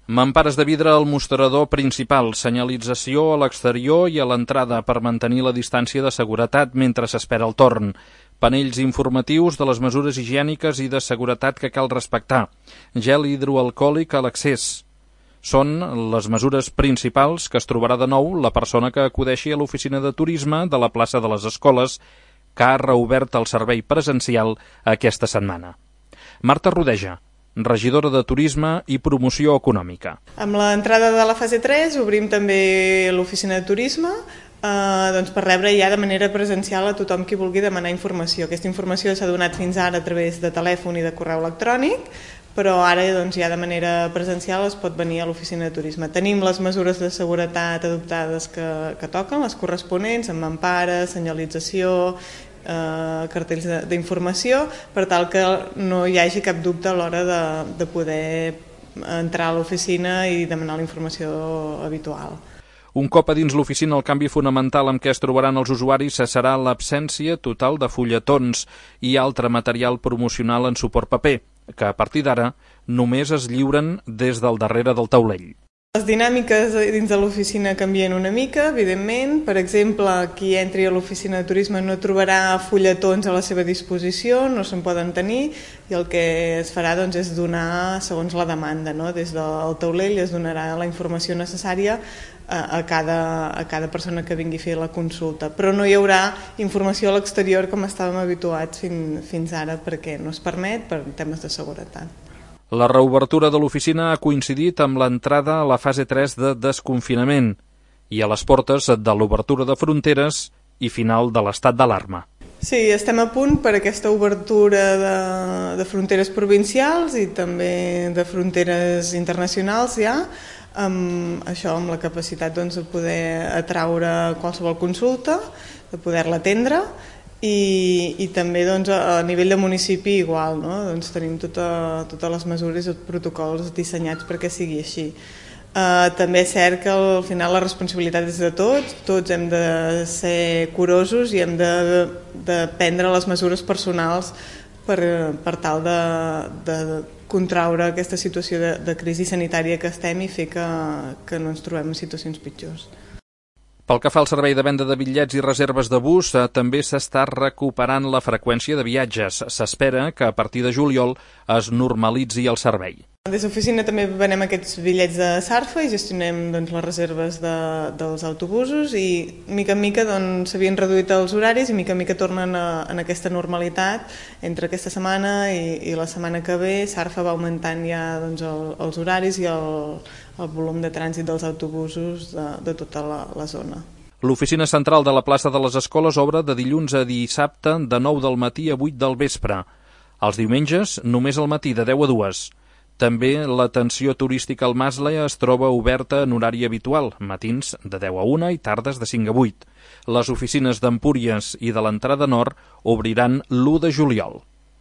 Mampares de vidre al mostrador principal, senyalització a l'exterior i a l'entrada per mantenir la distància de seguretat mentre s'espera el torn. Panells informatius de les mesures higièniques i de seguretat que cal respectar. Gel hidroalcohòlic a l'accés. Són les mesures principals que es trobarà de nou la persona que acudeixi a l'oficina de turisme de la plaça de les Escoles, que ha reobert el servei presencial aquesta setmana. Marta Rodeja, regidora de Turisme i Promoció Econòmica. Amb l'entrada de la fase 3 obrim també l'oficina de turisme per rebre ja de manera presencial a tothom qui vulgui demanar informació. Aquesta informació s'ha donat fins ara a través de telèfon i de correu electrònic, però ara ja de manera presencial es pot venir a l'oficina de turisme. Tenim les mesures de seguretat adoptades que toquen, les corresponents, amb mampares, senyalització, cartells d'informació, per tal que no hi hagi cap dubte a l'hora de poder entrar a l'oficina i demanar la informació habitual. Un cop a dins l'oficina, el canvi fonamental amb què es trobaran els usuaris serà l'absència total de fulletons i altre material promocional en suport paper, que a partir d'ara només es lliuren des del darrere del taulell. Les dinàmiques dins de l'oficina canvien una mica, evidentment. Per exemple, qui entri a l'oficina de turisme no trobarà fulletons a la seva disposició, no se'n poden tenir, i el que es farà és donar segons la demanda. Des del taulell es donarà la informació necessària a cada persona que vingui a fer la consulta. Però no hi haurà informació a l'exterior com estàvem habituats fins ara, perquè no es permet per temes de seguretat. La reobertura de l'oficina ha coincidit amb l'entrada a la fase 3 de desconfinament i a les portes de l'obertura de fronteres i final de l'estat d'alarma. Sí, estem a punt per aquesta obertura de fronteres provincials i també de fronteres internacionals ja, amb la capacitat de poder atraure qualsevol consulta, de poder-la atendre, i també a nivell de municipi igual, tenim totes les mesures i els protocols dissenyats perquè sigui així. També és cert que al final la responsabilitat és de tots hem de ser curosos i hem de prendre les mesures personals per tal de contraure aquesta situació de crisi sanitària que estem i fer que no ens trobem en situacions pitjors. Pel que fa al servei de venda de bitllets i reserves de bus, també s'està recuperant la freqüència de viatges. S'espera que a partir de juliol es normalitzi el servei. Des de l'oficina també venem aquests bitllets de Sarfa i gestionem les reserves dels autobusos i mica en mica s'havien reduït els horaris i mica en mica tornen en aquesta normalitat. Entre aquesta setmana i la setmana que ve Sarfa va augmentant ja els horaris i el volum de trànsit dels autobusos de tota la zona. L'oficina central de la plaça de les Escoles obre de dilluns a dissabte de 9 del matí a 8 del vespre. Els diumenges només al matí de 10 a 2. També l'atenció turística al Masle es troba oberta en horari habitual, matins de 10 a 1 i tardes de 5 a 8. Les oficines d'Empúries i de l'entrada nord obriran l'1 de juliol.